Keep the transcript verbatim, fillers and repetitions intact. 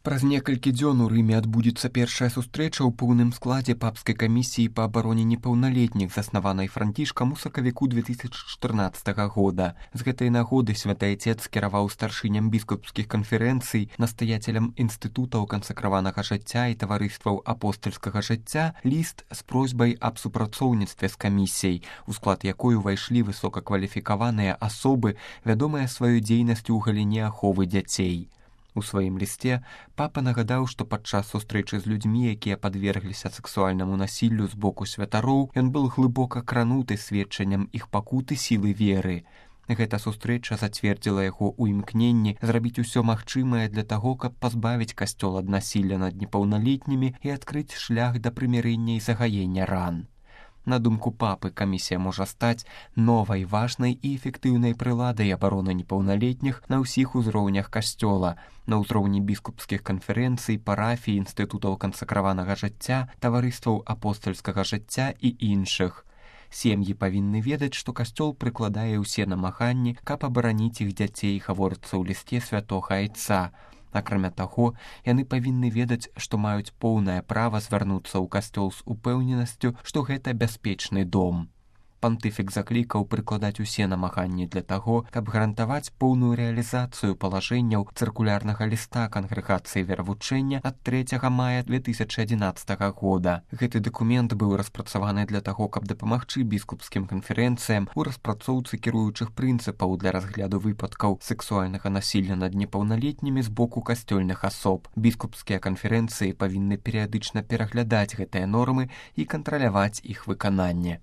Праз некалькі дзён у Рыме адбудзецца першая сустрэча ў поўным складзе папскай камісіі па абароне непаўналетніх, заснаванай Францішкам у сакавіку две тысячи чатырнаццатага года. З гэтай нагоды святы айцец скіраваў старшыням біскупскіх канферэнцый, настаяцелям інстытутаў кансакраванага жыцця і таварыстваў апостальскага жыцця ліст з просьбай аб супрацоўніцтве з камісіяй, у склад якой увайшлі высокакваліфікаваныя асобы, вядомыя сваёй дзейнасцю ў галіне аховы дзяцей. У сваім лісце папа нагадаў, што падчас сустрэчы з людзьмі, якія падвергліся сексуальнаму насіллю з боку святароў, ён быў глыбока крануты сведчаннем іх пакуты сілы веры. Гэта сустрэча зацвердзіла яго ў імкненні зрабіць усё магчымае для таго, каб пазбавіць касцёл ад насілля над непаўналетнімі і адкрыць шлях да прымірэння і загаення ран. На думку папы, камісія можа стаць новай, важнай і эфектыўнай прыладай абароны непаўналетніх на ўсіх узроўнях касцёла, на ўзроўні біскупскіх канферэнцый, парафій, інстытутаў кансакраванага жыцця, таварыстваў апостальскага жыцця і іншых. Сем'і павінны ведаць, што касцёл прыкладае ўсе намаганні, каб абараніць іх дзяцей, гаворыцца ў лісце святога айца. Акрамя таго, яны павінны ведаць, што маюць поўнае права звярнуцца ў касцёл з упэўненасцю, што гэта бяспечны дом. Пантыфік заклікаў прыкладаць усе намаганні для таго, каб гарантаваць поўную рэалізацыю палажэнняў цыркулярнага ліста кангрэгацыі веравучэння ад трэцяга мая две тысячи адзінаццатага года. Гэты дакумент быў распрацаваны для таго, каб дапамагчы біскупскім канферэнцыям у распрацоўцы кіруючых прынцыпаў для разгляду выпадкаў сексуальнага насілля над непаўналетнімі з боку касцёльных асоб. Біскупскія канферэнцыі павінны перыядычна пераглядаць гэтыя нормы і кантраляваць іх выкананне.